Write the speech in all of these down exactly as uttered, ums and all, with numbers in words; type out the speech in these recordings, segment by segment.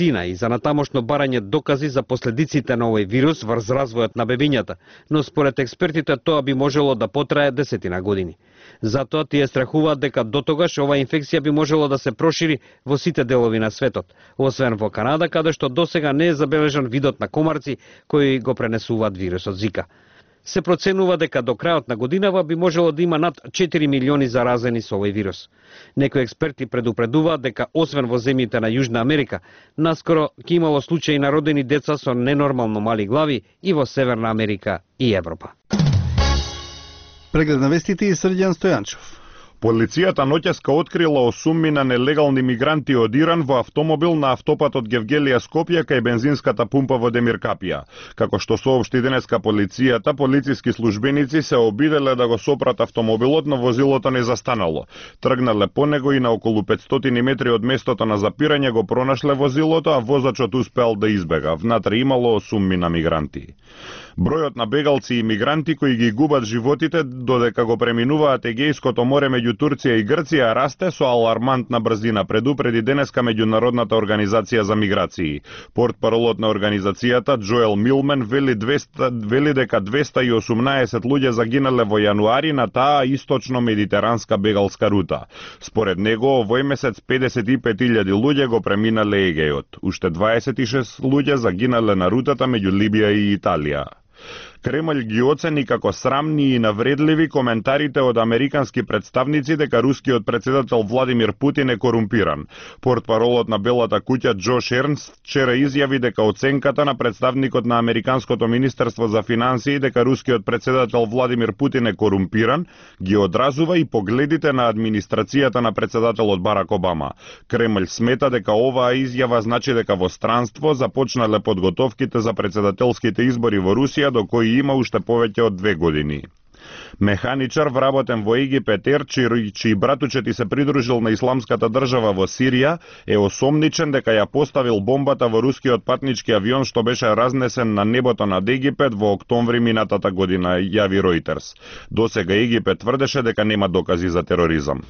вакцина и за натамошно барање докази за последиците на овој вирус врз развојот на бебињата, но според експертите тоа би можело да потрае десетина години. Затоа тие страхуваат дека дотогаш оваа инфекција би можело да се прошири во сите делови на светот, освен во Канада, каде што досега не е забележан видот на комарци кои го пренесуваат вирусот Зика. Се проценува дека до крајот на годинава би можело да има над четири милиони заразени со овој вирус. Некои експерти предупредуваат дека освен во земјите на Јужна Америка, наскоро ќе имало случаи на родени деца со ненормално мали глави и во Северна Америка и Европа. Преглед на вестите и Срđan Стојанчов. Полицијата ноќеска открила осумми на нелегални мигранти од Иран во автомобил на автопатот Гевгелија Скопје кај бензинската пумпа во Демиркапија. Како што соопшти денеска полицијата, полициски службеници се обиделе да го сопрат автомобилот, но возилото не застанало. Тргнале по него и на околу петстотини метри од местото на запирање го пронашле возилото, а возачот успеал да избега. Внатре имало осумми на мигранти. Бројот на бегалци и мигранти кои ги губат животите додека го преминуваат Егејското море меѓу Турција и Грција расте со алармантна брзина, предупреди денеска Меѓународната организација за миграции. Портпаролот на организацијата Джоел Милмен вели, двеста, вели дека двеста и осумнаесет луѓе загинале во јануари на таа источно-медитеранска бегалска рута. Според него, овој месец педесет и пет илјади луѓе го преминале Егејот. Уште дваесет и шест луѓе загинале на рутата меѓу Либија и Италија. Кремљ ги оцени како срамни и навредливи коментарите од американски представници дека рускиот председател Владимир Путин е корумпиран. Портпаролот на Белата куќа Џош Ернст вчера изјави дека оценката на представникот на Американското министерство за финансии дека рускиот председател Владимир Путин е корумпиран ги одразува и погледите на администрацијата на председателот Барак Обама. Кремљ смета дека оваа изјава значи дека во странство започнале подготовките за председателските избори во Русија, до кои има уште повеќе од две години. Механичар вработен во Египет Ер, чиј, чиј братучет се придружил на исламската држава во Сирија, е осомничен дека ја поставил бомбата во рускиот патнички авион што беше разнесен на небото над Египет во октомври минатата година, јави Ројтерс. Досега Египет тврдеше дека нема докази за тероризам.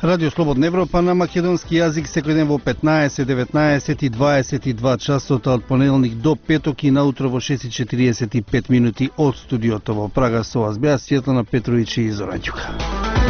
Радио Слободна Европа на македонски јазик секој ден во петнаесет, деветнаесет и дваесет и два часот од понеделник до петок и наутро во шест и четириесет и пет минути од студиото во Прага. Со вас беа Светлана Петровиќ и Зоран Ѓука.